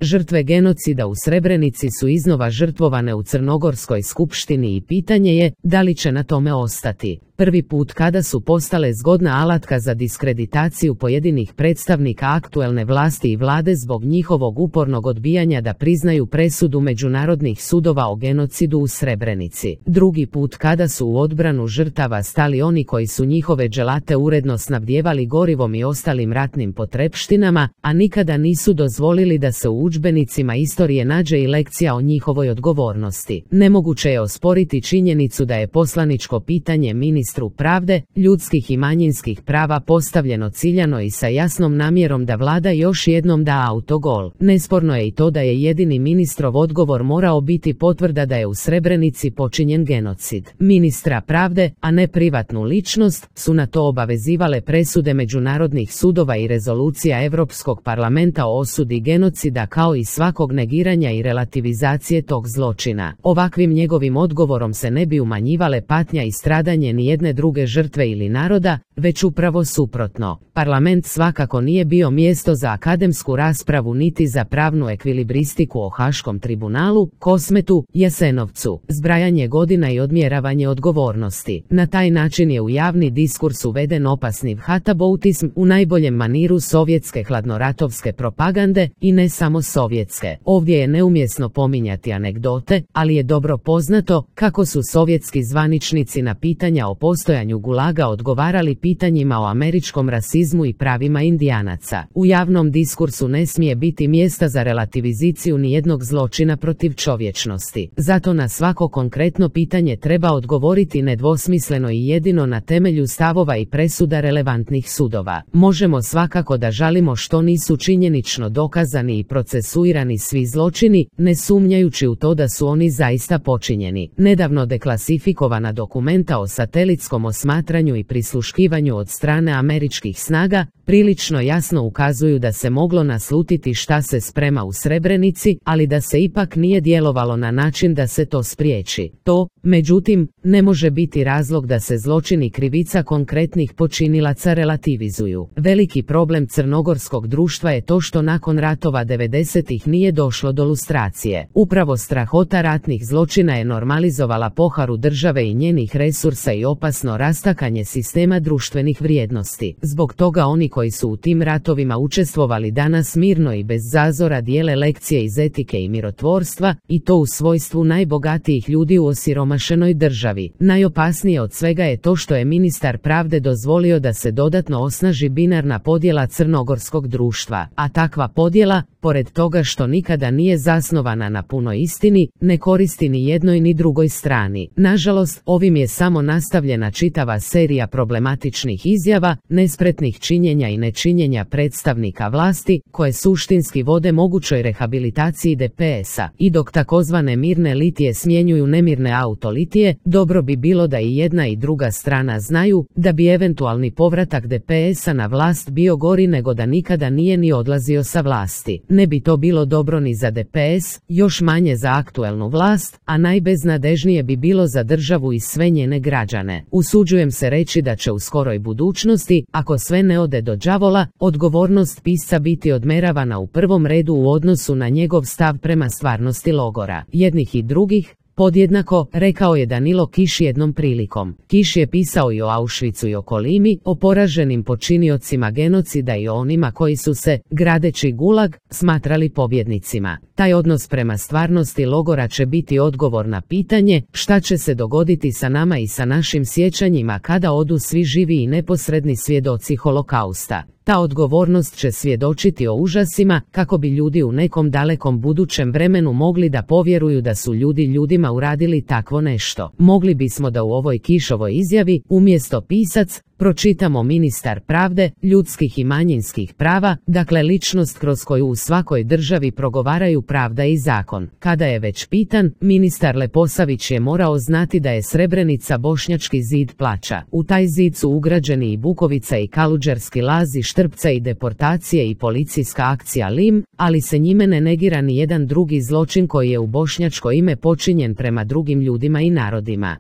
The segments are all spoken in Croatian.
Žrtve genocida u Srebrenici su iznova žrtvovane u Crnogorskoj skupštini i pitanje je da li će na tome ostati. Prvi put kada su postale zgodna alatka za diskreditaciju pojedinih predstavnika aktuelne vlasti i vlade zbog njihovog upornog odbijanja da priznaju presudu međunarodnih sudova o genocidu u Srebrenici. Drugi put kada su u odbranu žrtava stali oni koji su njihove dželate uredno snabdijevali gorivom i ostalim ratnim potrepštinama, a nikada nisu dozvolili da se u udžbenicima istorije nađe i lekcija o njihovoj odgovornosti. Nemoguće je osporiti činjenicu da je poslaničko pitanje ministru pravde, ljudskih i manjinskih prava postavljeno ciljano i sa jasnom namjerom da vlada još jednom da autogol. Nesporno je i to da je jedini ministrov odgovor morao biti potvrda da je u Srebrenici počinjen genocid. Ministra pravde, a ne privatnu ličnost, su na to obavezivale presude međunarodnih sudova i rezolucija Europskog parlamenta o osudi genocida kao i svakog negiranja i relativizacije tog zločina. Ovakvim njegovim odgovorom se ne bi umanjivale patnja i stradanje ni jedne druge žrtve ili naroda, već upravo suprotno. Parlament svakako nije bio mjesto za akademsku raspravu niti za pravnu ekvilibristiku o Haškom tribunalu, Kosmetu, Jasenovcu, zbrajanje godina i odmjeravanje odgovornosti. Na taj način je u javni diskurs uveden opasni vhataboutizm u najboljem maniru sovjetske hladnoratovske propagande i ne samo sovjetske. Ovdje je neumjesno pominjati anegdote, ali je dobro poznato kako su sovjetski zvaničnici na pitanja o postojanju gulaga odgovarali pitanjima o američkom rasizmu i pravima indijanaca. U javnom diskursu ne smije biti mjesta za relativiziciju nijednog zločina protiv čovječnosti. Zato na svako konkretno pitanje treba odgovoriti nedvosmisleno i jedino na temelju stavova i presuda relevantnih sudova. Možemo svakako da žalimo što nisu činjenično dokazani i procesuirani svi zločini, ne sumnjajući u to da su oni zaista počinjeni. Nedavno deklasifikovana dokumenta o satelitskom osmatranju i prisluškivanju od strane američkih snaga prilično jasno ukazuju da se moglo naslutiti šta se sprema u Srebrenici, ali da se ipak nije djelovalo na način da se to spriječi. To, međutim, ne može biti razlog da se zločini krivica konkretnih počinilaca relativizuju. Veliki problem crnogorskog društva je to što nakon ratova 90-ih nije došlo do lustracije. Upravo strahota ratnih zločina je normalizovala poharu države i njenih resursa i opasno rastakanje sistema društvenih vrijednosti. Zbog toga oni koji su u tim ratovima učestvovali danas mirno i bez zazora dijele lekcije iz etike i mirotvorstva, i to u svojstvu najbogatijih ljudi u osiromašenoj državi. Najopasnije od svega je to što je ministar pravde dozvolio da se dodatno osnaži binarna podjela crnogorskog društva, a takva podjela, pored toga što nikada nije zasnovana na punoj istini, ne koristi ni jednoj ni drugoj strani. Nažalost, ovim je samo nastavljena čitava serija problematičnih izjava, nespretnih činjenja i nečinjenja predstavnika vlasti, koje suštinski vode mogućoj rehabilitaciji DPS-a. I dok takozvane mirne litije smjenjuju nemirne autolitije, dobro bi bilo da i jedna i druga strana znaju da bi eventualni povratak DPS-a na vlast bio gori nego da nikada nije ni odlazio sa vlasti. Ne bi to bilo dobro ni za DPS, još manje za aktuelnu vlast, a najbeznadežnije bi bilo za državu i sve njene građane. Usuđujem se reći da će u skoroj budućnosti, ako sve ne ode do đavola, odgovornost pisca biti odmeravana u prvom redu u odnosu na njegov stav prema stvarnosti logora. Jednih i drugih, podjednako, rekao je Danilo Kiš jednom prilikom. Kiš je pisao i o Auschwitzu i o Kolimi, o poraženim počiniocima genocida i o onima koji su se, gradeći gulag, smatrali pobjednicima. Taj odnos prema stvarnosti logora će biti odgovor na pitanje šta će se dogoditi sa nama i sa našim sjećanjima kada odu svi živi i neposredni svjedoci holokausta. Ta odgovornost će svjedočiti o užasima kako bi ljudi u nekom dalekom budućem vremenu mogli da povjeruju da su ljudi ljudima uradili takvo nešto. Mogli bismo da u ovoj Kišovoj izjavi, umjesto pisac, pročitamo ministar pravde, ljudskih i manjinskih prava, dakle ličnost kroz koju u svakoj državi progovaraju pravda i zakon. Kada je već pitan, ministar Leposavić je morao znati da je Srebrenica bošnjački zid plača. U taj zid su ugrađeni i Bukovica i Kaludžerski laz i Štrpca i deportacije i policijska akcija Lim, ali se njime ne negira ni jedan drugi zločin koji je u bošnjačko ime počinjen prema drugim ljudima i narodima.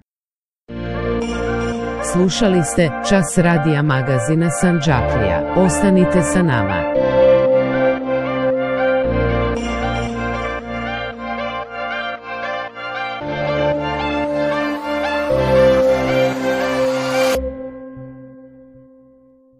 Slušali ste Čas radija magazina Sandžaklija. Ostanite sa nama.